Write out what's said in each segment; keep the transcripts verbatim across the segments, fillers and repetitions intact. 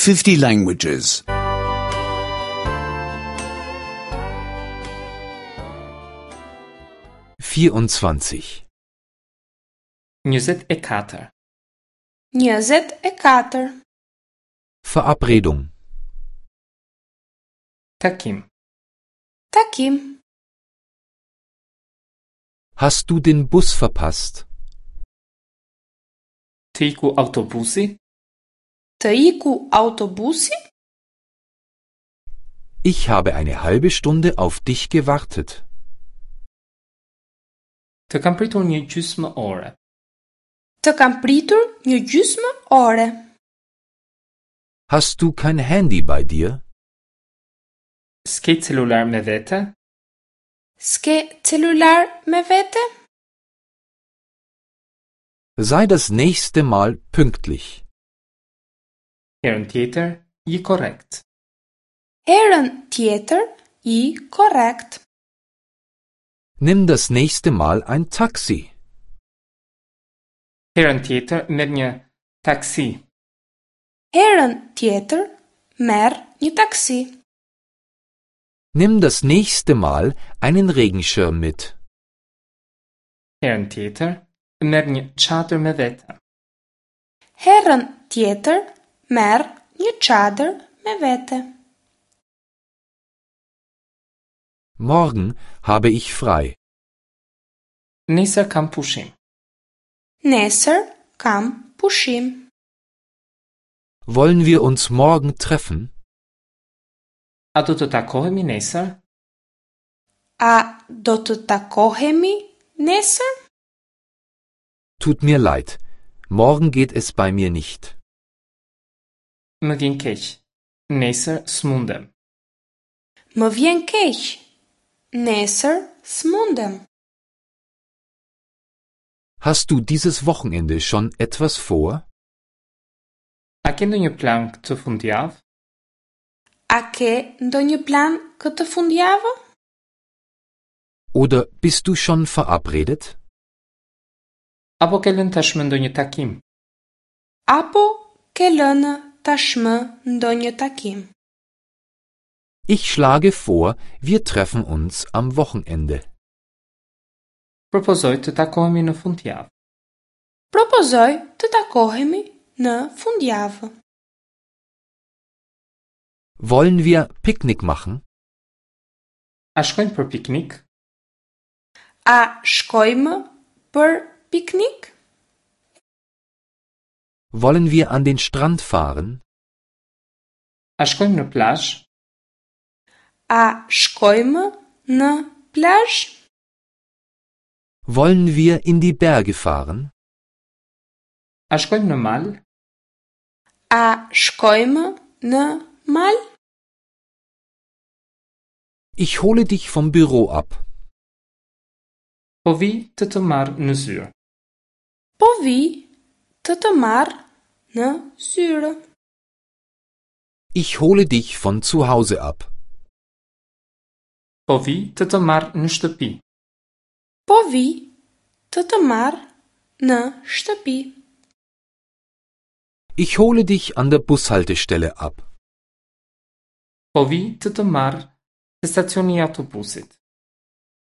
fifty languages. vierundzwanzig. Njëzet e katër. Njëzet e katër. Verabredung. Takim. Takim. Hast du den Bus verpasst? Të iku autobusi? Të iku autobusi? Ich habe eine halbe Stunde auf dich gewartet. Të kam pritur një gjysmë ore. Të kam pritur një gjysmë ore. Hast du kein Handy bei dir? S'ke celular me vete? S'ke celular me vete? Sei das nächste Mal pünktlich. Herën tjetër, ji korrekt. Herën tjetër, ji korrekt. Nimm das nächste Mal ein Taxi. Herën tjetër, merr një taksi. Herën tjetër, merr një taksi. Nimm das nächste Mal einen Regenschirm mit. Herën tjetër, merr një çadër me vete. Herën tjetër, merr një çadër me vete. Morgen habe ich frei. Nesër kam pushim. Nesër kam pushim. Wollen wir uns morgen treffen? A do të takohemi nesër? A do të takohemi nesër? Tut mir leid, morgen geht es bei mir nicht. Më vjen keq. Nesër s'mundem. Më vjen keq. Nesër s'mundem. Hast du dieses Wochenende schon etwas vor? A ke ndonjë plan këtë fundjavë? A ke ndonjë plan këtë fundjavë? Oder bist du schon verabredet? Apo ke lënë tashmë ndonjë takim? Apo ke lënë tashmë ndonjë takim? Ich schlage vor, wir treffen uns am Wochenende. Propozoj të takohemi në fundjavë. Propozoj të takohemi në fundjavë. Wollen wir Picknick machen? A shkojmë për piknik? A shkojmë për piknik? Wollen wir an den Strand fahren? A shkojmë në plazh? A shkojmë në plazh? Wollen wir in die Berge fahren? A shkojmë në mal? A shkojmë në mal? Ich hole dich vom Büro ab. Po vi të të marr në zyrë. Po vi të të marr në zyrë. Ich hole dich von zu Hause ab. Po vi të të marr në shtëpi. Po vi të të marr në shtëpi. Ich hole dich an der Bushaltestelle ab. Po vi të të marr te stacioni i autobusit.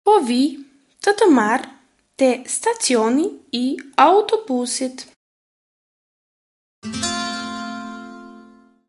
Po vi të të marr te stacioni i autobusit.